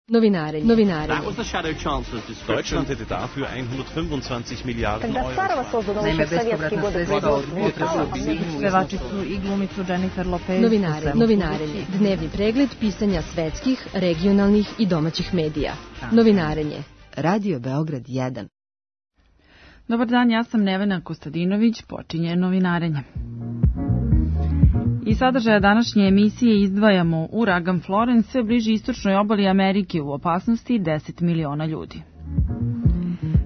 Novinarenje. Deutschland hätte dafür 125 Miliarden Euro. Naime, bespovratna sredstva od pevačicu i glumicu Jennifer Lopez. Novinarenje. Dnevni pregled pisanja svetskih, regionalnih i domaćih medija. Novinarenje. Radio Beograd 1. Dobar dan, ja sam Nevena Kostadinović, počinje Novinarenje. Iz sadržaja današnje emisije izdvajamo uragan Florence sve bliži istočnoj obali Amerike, u opasnosti 10 miliona ljudi.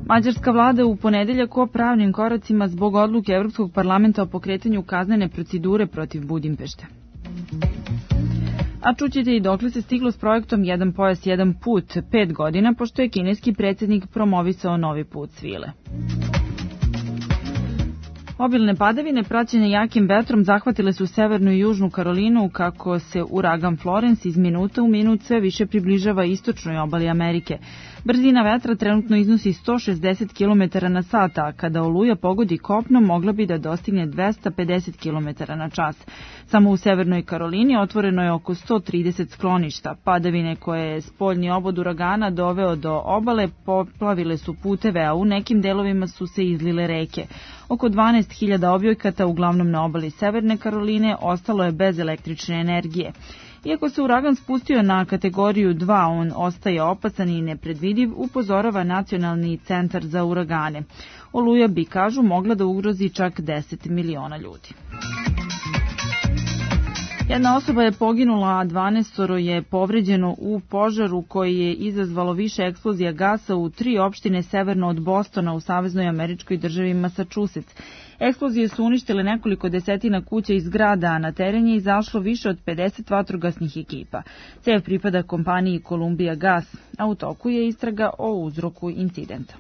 Mađarska vlada u ponedeljak o pravnim koracima zbog odluke Evropskog parlamenta o pokretanju kaznene procedure protiv Budimpešte. A čućete i dokle se stiglo s projektom Jedan pojas, jedan put, 5 godina, pošto je kineski predsjednik promovisao novi put svile. Obilne padavine praćene jakim vetrom zahvatile su severnu i južnu Karolinu kako se uragan Florence iz minuta u minut sve više približava istočnoj obali Amerike. Brzina vetra trenutno iznosi 160 km na sat, a kada oluja pogodi kopno mogla bi da dostigne 250 km na čas. Samo u severnoj Karolini otvoreno je oko 130 skloništa. Padavine koje je spoljni obod uragana doveo do obale poplavile su puteve, a u nekim delovima su se izlile reke. Oko 12.000 objekata, uglavnom na obali Severne Karoline, ostalo je bez električne energije. Iako se uragan spustio na kategoriju 2, on ostaje opasan i nepredvidiv, upozorava Nacionalni centar za uragane. Oluja bi, kažu, mogla da ugrozi čak 10 miliona ljudi. Jedna osoba je poginula, a 12 je povređeno u požaru koji je izazvalo više eksplozija gasa u 3 opštine severno od Bostona u saveznoj američkoj državi Massachusetts. Eksplozije su uništile nekoliko desetina kuća i zgrada, a na teren je izašlo više od 50 vatrogasnih ekipa. Cev pripada kompaniji Columbia Gas, a u toku je istraga o uzroku incidenta.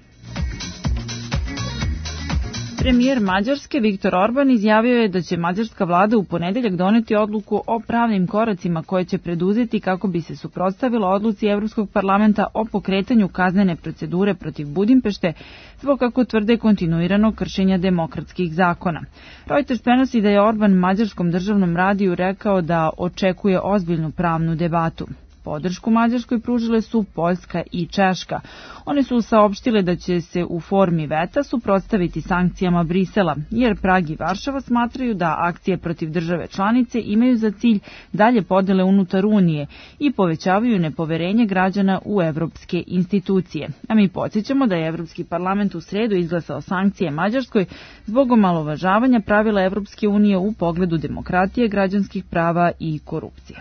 Premijer Mađarske Viktor Orban izjavio je da će mađarska vlada u ponedeljak doneti odluku o pravnim koracima koje će preduzeti kako bi se suprotstavila odluci Evropskog parlamenta o pokretanju kaznene procedure protiv Budimpešte zbog, kako tvrde, kontinuiranog kršenja demokratskih zakona. Reuters prenosi da je Orban mađarskom državnom radiju rekao da očekuje ozbiljnu pravnu debatu. Podršku Mađarskoj pružile su Poljska i Češka. One su saopštile da će se u formi veta suprotstaviti sankcijama Brisela, jer Prag i Varšava smatraju da akcije protiv države članice imaju za cilj dalje podele unutar Unije i povećavaju nepoverenje građana u evropske institucije. A mi podsjećamo da je Evropski parlament u sredu izglasao sankcije Mađarskoj zbog omalovažavanja pravila Evropske unije u pogledu demokratije, građanskih prava i korupcije.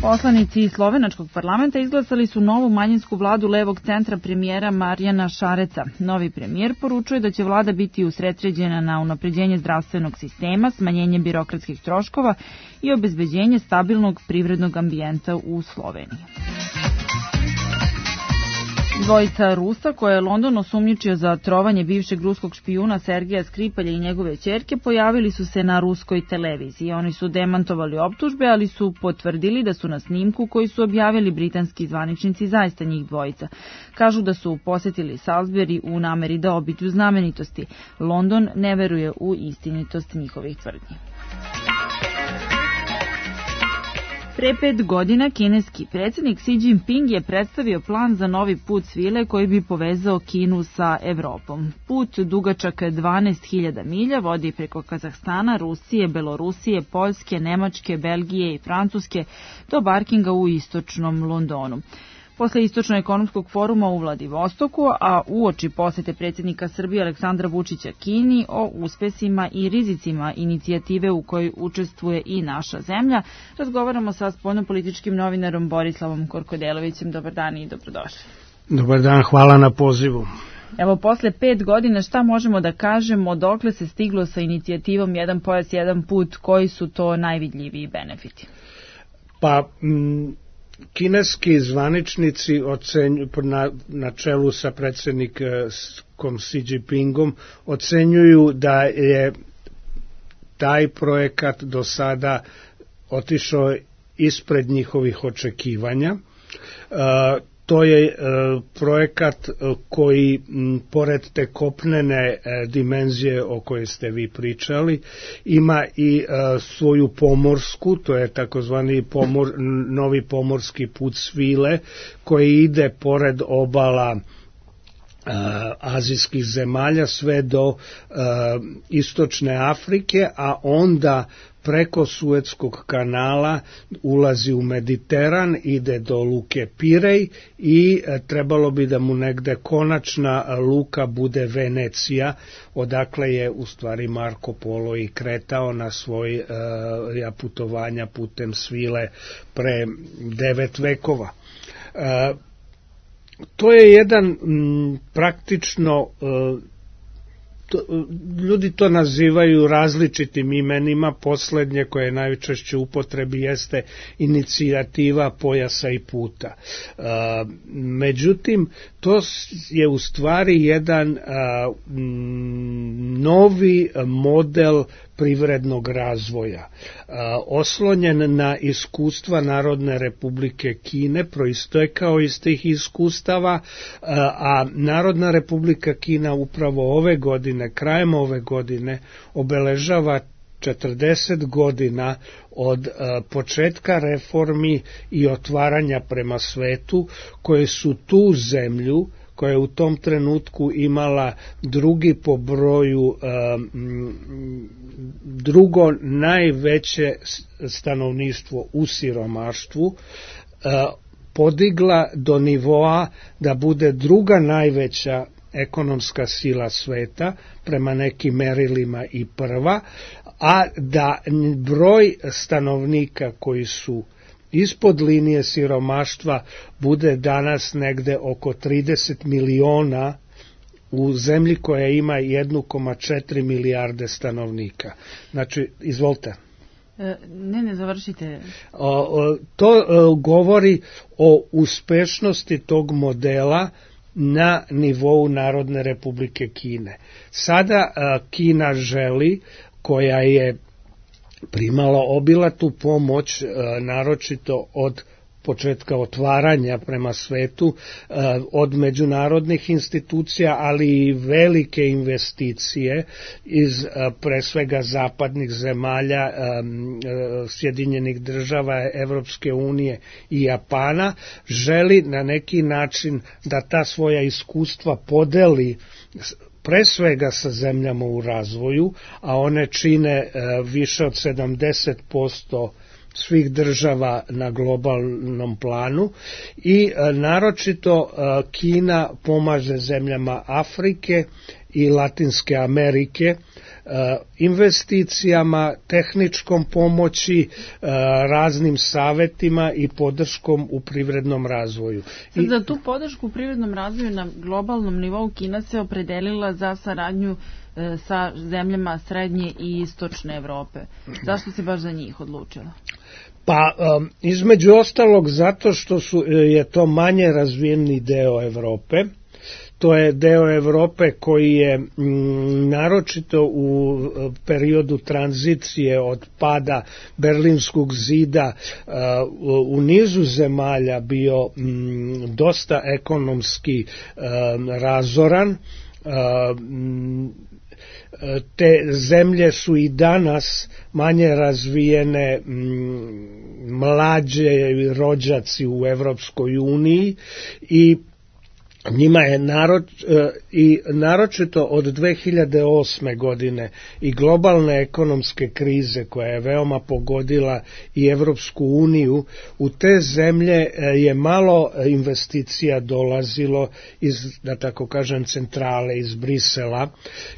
Poslanici slovenačkog parlamenta izglasali su novu manjinsku vladu levog centra premijera Marjana Šareca. Novi premijer poručuje da će vlada biti usredsređena na unapređenje zdravstvenog sistema, smanjenje birokratskih troškova i obezbeđenje stabilnog privrednog ambijenta u Sloveniji. Dvojica Rusa, koje je London osumnjičio za trovanje bivšeg ruskog špijuna Sergeja Skripalja i njegove ćerke, pojavili su se na ruskoj televiziji. Oni su demantovali optužbe, ali su potvrdili da su na snimku koji su objavili britanski zvaničnici zaista njih dvojica. Kažu da su posetili Salisbury u nameri da obiđu znamenitosti. London ne veruje u istinitost njihovih tvrdnji. Pre 5 godina kineski predsjednik Xi Jinping je predstavio plan za novi put svile koji bi povezao Kinu sa Evropom. Put dugačak 12.000 milja vodi preko Kazahstana, Rusije, Belorusije, Poljske, Nemačke, Belgije i Francuske do Barkinga u istočnom Londonu. Posle Istočno-ekonomskog foruma u Vladivostoku, a uoči posete predsjednika Srbije Aleksandra Vučića Kini o uspesima i rizicima inicijative u kojoj učestvuje i naša zemlja, razgovaramo sa spoljnopolitičkim novinarom Borislavom Korkodelovićem. Dobar dan i dobrodošli. Dobar dan, hvala na pozivu. Evo, posle 5 godina šta možemo da kažemo, dokle se stiglo sa inicijativom Jedan pojas, jedan put, koji su to najvidljiviji benefiti? Pa, kineski zvaničnici na čelu sa predsjednikom Xi Jinpingom ocenjuju da je taj projekat do sada otišao ispred njihovih očekivanja. To je projekat koji, pored te kopnene dimenzije o kojoj ste vi pričali, ima i svoju pomorsku, to je takozvani novi pomorski put svile, koji ide pored obala azijskih zemalja sve do istočne Afrike, a onda preko Suetskog kanala ulazi u Mediteran, ide do luke Pirej i trebalo bi da mu negde konačna luka bude Venecija, odakle je u stvari Marko Polo i kretao na svoj putovanja putem svile pre 9 vekova. To je jedan praktično, ljudi to nazivaju različitim imenima, poslednje koje je najčešće u upotrebi jeste inicijativa pojasa i puta. Međutim, to je u stvari jedan novi model privrednog razvoja, oslonjen na iskustva Narodne Republike Kine, proistekao iz tih iskustava, a Narodna Republika Kina upravo ove godine, krajem ove godine, obeležava 40 godina od početka reformi i otvaranja prema svetu, koje su tu zemlju, koja je u tom trenutku imala drugi po broju, drugo najveće stanovništvo u siromaštvu, podigla do nivoa da bude druga najveća ekonomska sila sveta, prema nekim merilima i prva, a da broj stanovnika koji su ispod linije siromaštva bude danas negde oko 30 miliona u zemlji koja ima 1,4 milijarde stanovnika. Znači, izvolite. Ne, završite. To govori o uspešnosti tog modela na nivou Narodne Republike Kine. Sada Kina želi, koja je primala obilatu pomoć, naročito od početka otvaranja prema svetu, od međunarodnih institucija, ali i velike investicije iz pre svega zapadnih zemalja, Sjedinjenih država, Evropske unije i Japana, želi na neki način da ta svoja iskustva podeli pre svega sa zemljama u razvoju, a one čine više od 70% svih država na globalnom planu, i naročito Kina pomaže zemljama Afrike i Latinske Amerike investicijama, tehničkom pomoći, raznim savetima i podrškom u privrednom razvoju. Za tu podršku u privrednom razvoju na globalnom nivou Kina se opredelila za saradnju sa zemljama srednje i istočne Evrope. Zašto se baš za njih odlučila? Pa, između ostalog, zato što je to manje razvijeni deo Evrope. To je deo Evrope koji je naročito u periodu tranzicije od pada Berlinskog zida u nizu zemalja bio dosta ekonomski razoran. Te zemlje su i danas manje razvijene, mlađe rođaci u Evropskoj uniji, i njima je naročito od 2008. godine i globalne ekonomske krize koja je veoma pogodila i Evropsku uniju, u te zemlje je malo investicija dolazilo iz, da tako kažem, centrale, iz Brisela,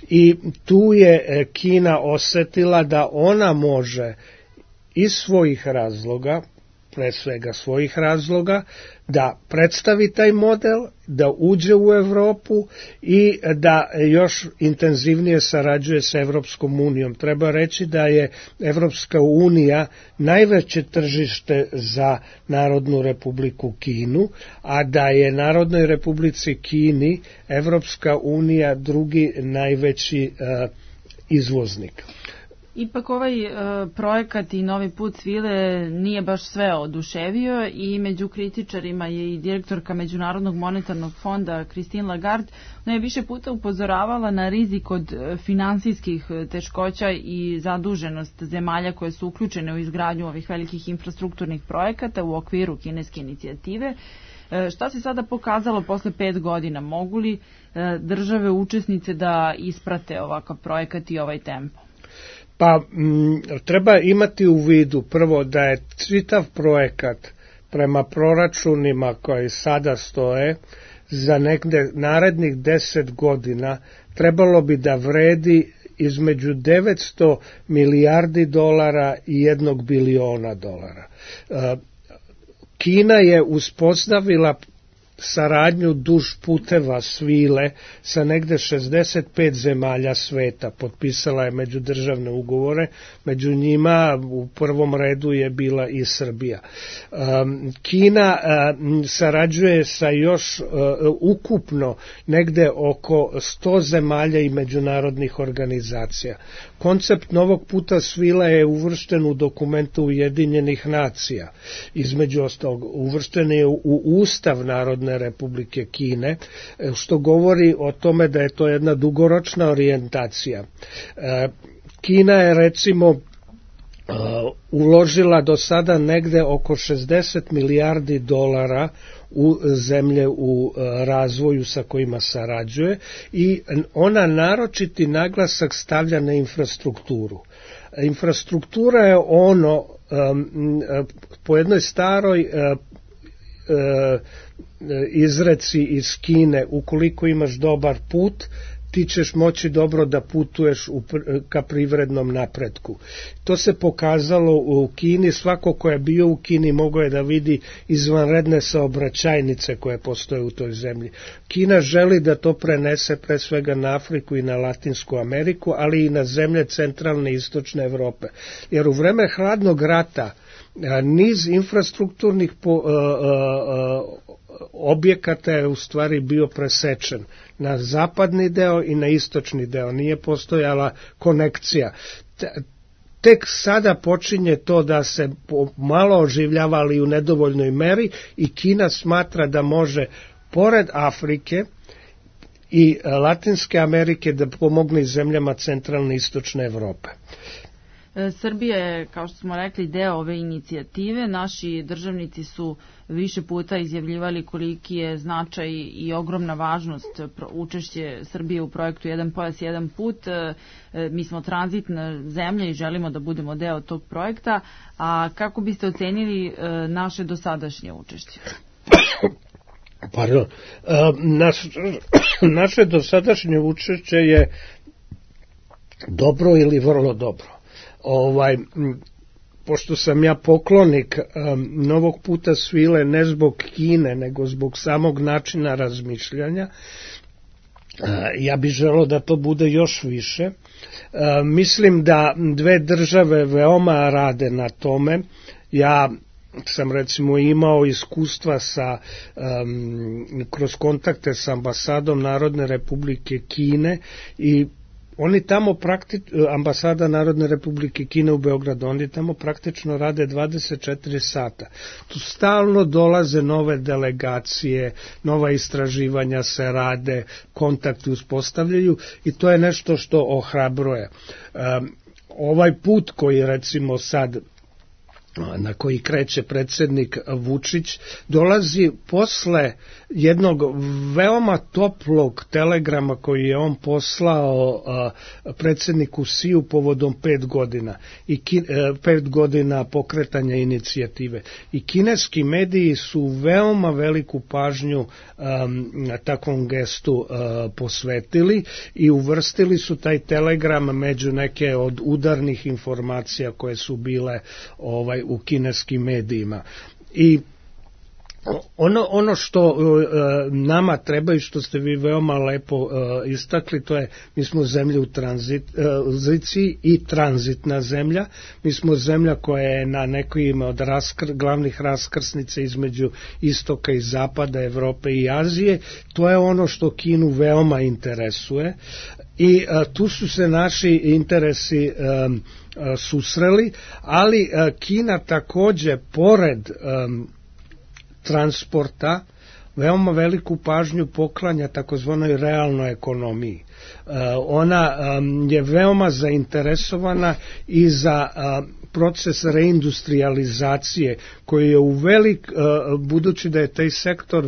i tu je Kina osetila da ona može iz svojih razloga, pre svega svojih razloga, da predstavi taj model, da uđe u Evropu i da još intenzivnije sarađuje sa Evropskom unijom. Treba reći da je Evropska unija najveće tržište za Narodnu Republiku Kinu, a da je Narodnoj Republici Kini Evropska unija drugi najveći izvoznik. Ipak ovaj projekat i novi put svile nije baš sve oduševio i među kritičarima je i direktorka Međunarodnog monetarnog fonda Christine Lagarde. Ona je više puta upozoravala na rizik od finansijskih teškoća i zaduženost zemalja koje su uključene u izgradnju ovih velikih infrastrukturnih projekata u okviru kineske inicijative. Šta se sada pokazalo posle 5 godina? Mogu li države učesnice da isprate ovakav projekat i ovaj tempo? Pa treba imati u vidu prvo da je čitav projekat prema proračunima koji sada stoje za negde narednih 10 godina trebalo bi da vredi između 900 milijardi dolara i 1 biliona dolara. Kina je uspostavila saradnju duž puteva svile sa negde 65 zemalja sveta, potpisala je međudržavne ugovore, među njima u prvom redu je bila i Srbija. Kina sarađuje sa još ukupno negde oko 100 zemalja i međunarodnih organizacija. Koncept novog puta svila je uvršten u dokumentu Ujedinjenih nacija. Između ostalog, uvršten je u Ustav Narodne Republike Kine, što govori o tome da je to jedna dugoročna orijentacija. Kina je recimo uložila do sada negde oko 60 milijardi dolara u zemlje u razvoju sa kojima sarađuje i ona naročiti naglasak stavlja na infrastrukturu. Infrastruktura je ono po jednoj staroj izreci iz Kine, ukoliko imaš dobar put, ti ćeš moći dobro da putuješ ka privrednom napretku. To se pokazalo u Kini, svako ko je bio u Kini mogao je da vidi izvanredne saobraćajnice koje postoje u toj zemlji. Kina želi da to prenese pre svega na Afriku i na Latinsku Ameriku, ali i na zemlje centralne i istočne Evrope. Jer u vreme hladnog rata niz infrastrukturnih objekata je u stvari bio presečen na zapadni deo i na istočni deo, nije postojala konekcija. Tek sada počinje to da se malo oživljava, ali u nedovoljnoj meri, i Kina smatra da može pored Afrike i Latinske Amerike da pomogne zemljama centralne i istočne Evrope. Srbija je, kao što smo rekli, deo ove inicijative. Naši državnici su više puta izjavljivali koliki je značaj i ogromna važnost učešće Srbije u projektu Jedan pojas, jedan put. Mi smo tranzitna zemlja i želimo da budemo deo tog projekta. A kako biste ocenili naše dosadašnje učešće? Pardon. Naše dosadašnje učešće je dobro ili vrlo dobro. Pošto sam ja poklonik novog puta svile ne zbog Kine, nego zbog samog načina razmišljanja, ja bih želeo da to bude još više. Mislim da dve države veoma rade na tome. Ja sam recimo imao iskustva kroz kontakte sa ambasadom Narodne Republike Kine i oni tamo ambasada Narodne Republike Kine u Beogradu, oni tamo praktično rade 24 sata. Tu stalno dolaze nove delegacije, nova istraživanja se rade, kontakti uspostavljaju i to je nešto što ohrabruje. Ovaj put koji recimo sad na koji kreće predsjednik Vučić, dolazi posle jednog veoma toplog telegrama koji je on poslao predsjedniku Siju povodom 5 godina i 5 godina pokretanja inicijative. I kineski mediji su veoma veliku pažnju na takvom gestu posvetili i uvrstili su taj telegram među neke od udarnih informacija koje su bile u kineskim medijima. I Ono što nama treba i što ste vi veoma lepo istakli, to je, mi smo zemlja u tranziciji i tranzitna zemlja. Mi smo zemlja koja je na nekim od glavnih raskrsnica između istoka i zapada, Evrope i Azije. To je ono što Kinu veoma interesuje i tu su se naši interesi susreli, ali Kina takođe pored transporta veoma veliku pažnju poklanja takozvanoj realnoj ekonomiji. Ona je veoma zainteresovana i za proces reindustrializacije koji je budući da je taj sektor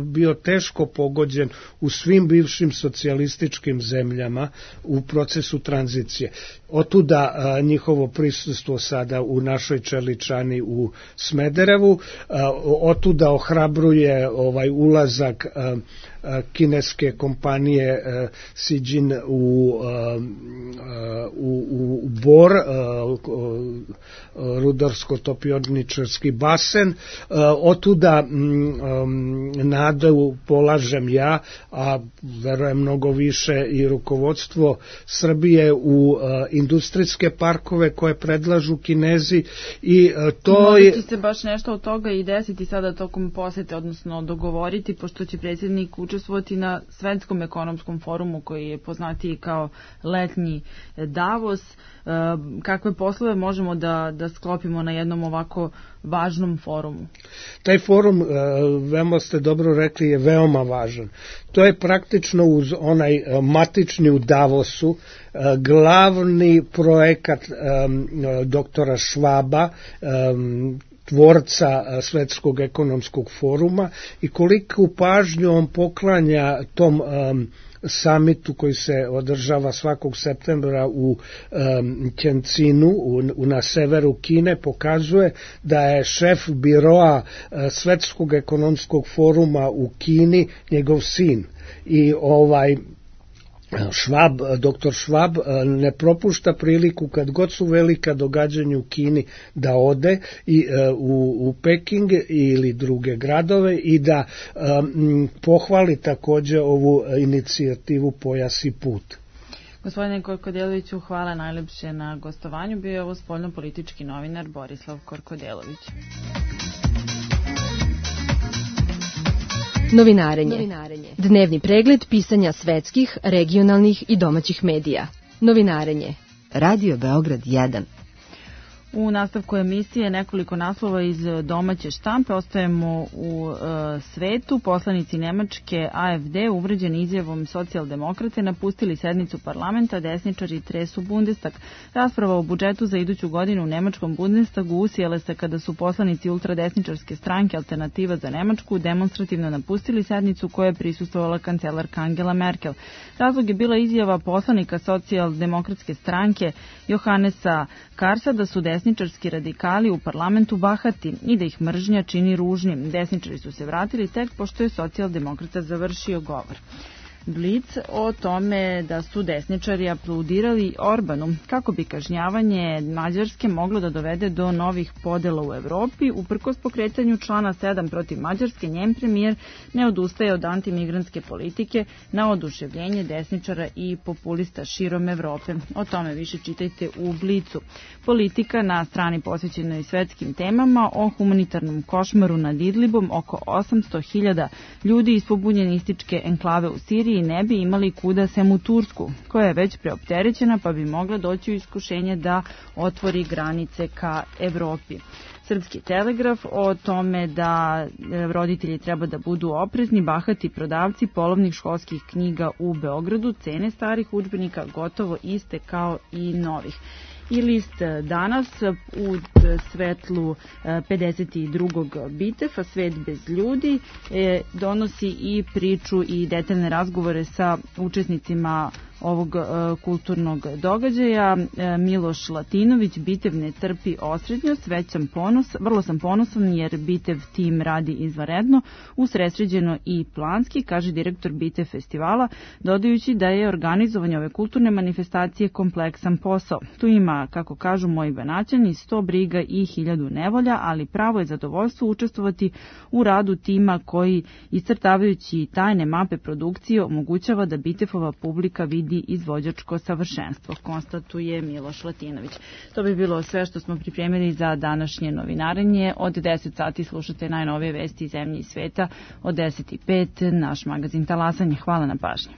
bio teško pogođen u svim bivšim socijalističkim zemljama u procesu tranzicije. Otuda njihovo prisustvo sada u našoj čeličani u Smederevu, otuda ohrabruje ulazak kineske kompanije Sijin u Bor, rudarsko-topioničarski basen. Otuda nadu polažem ja, a verujem mnogo više i rukovodstvo Srbije u industrijske parkove koje predlažu Kinezi i to je... Može se baš nešto od toga i desiti sada tokom posete, odnosno dogovoriti, pošto će predsjednik učestvovati na Svetskom ekonomskom forumu koji je poznatiji kao letnji Davos. Kakve poslove možemo da sklopimo na jednom ovako važnom forumu? Taj forum, veoma ste dobro rekli, je veoma važan. To je praktično uz onaj matični u Davosu glavni projekat doktora Švaba, tvorca Svetskog ekonomskog foruma, i koliku pažnju on poklanja tom samitu koji se održava svakog septembra u Tjencinu, na severu Kine, pokazuje da je šef biroa Svetskog ekonomskog foruma u Kini njegov sin. I doktor Švab ne propušta priliku kad god su velika događanja u Kini da ode u Peking ili druge gradove i da pohvali takođe ovu inicijativu Pojas i put. Gospodine Korkodeloviću, hvala najlepše na gostovanju. Bio je ovo spoljno-politički novinar Borislav Korkodelović. Novinarenje. Dnevni pregled pisanja svetskih, regionalnih i domaćih medija. Novinarenje. Radio Beograd 1. U nastavku emisije nekoliko naslova iz domaće štampe. Ostajemo u svetu. Poslanici Nemačke AFD uvređeni izjavom socijaldemokrate napustili sednicu parlamenta, desničari tresu Bundestag. Rasprava o budžetu za iduću godinu u nemačkom Bundestagu usijele se kada su poslanici ultradesničarske stranke Alternativa za Nemačku demonstrativno napustili sednicu koja je prisustvovala kancelarka Angela Merkel. Razlog je bila izjava poslanika socijaldemokratske stranke Johannesa Karsa da su desničarski radikali u parlamentu bahati i da ih mržnja čini ružnim. Desničari su se vratili tek pošto je socijaldemokrata završio govor. Blic o tome da su desničari aplaudirali Orbanu kako bi kažnjavanje Mađarske moglo da dovede do novih podela u Evropi. Uprkos pokretanju člana 7 protiv Mađarske, njen premijer ne odustaje od antimigrantske politike na oduševljenje desničara i populista širom Evrope. O tome više čitajte u Blicu. Politika na strani posvećenoj svetskim temama o humanitarnom košmaru nad Idlibom. Oko 800.000 ljudi iz pobunjenističke enklave u Siriji ne bi imali kuda sem u Tursku, koja je već preopterećena pa bi mogla doći u iskušenje da otvori granice ka Evropi. Srpski telegraf o tome da roditelji treba da budu oprezni, bahati prodavci polovnih školskih knjiga u Beogradu, cene starih udžbenika gotovo iste kao i novih. I list danas u svetlu 52. Bitefa, Svet bez ljudi, donosi i priču i detaljne razgovore sa učesnicima ovog kulturnog događaja. Miloš Latinović, Bitev ne trpi osrednjost, vrlo sam ponosan jer Bitev tim radi izvanredno, usredsređeno i planski, kaže direktor Bitev festivala, dodajući da je organizovanje ove kulturne manifestacije kompleksan posao. Tu ima ima, kako kažu moji Banaćani, 100 briga i 1000 nevolja, ali pravo je zadovoljstvo učestvovati u radu tima koji, iscrtavajući tajne mape produkcije, omogućava da Bitefova publika vidi izvođačko savršenstvo, konstatuje Miloš Latinović. To bi bilo sve što smo pripremili za današnje novinarenje. Od 10 sati slušate najnovije vesti iz zemlje i sveta, od 10:05 naš magazin Talasanje. Hvala na pažnji.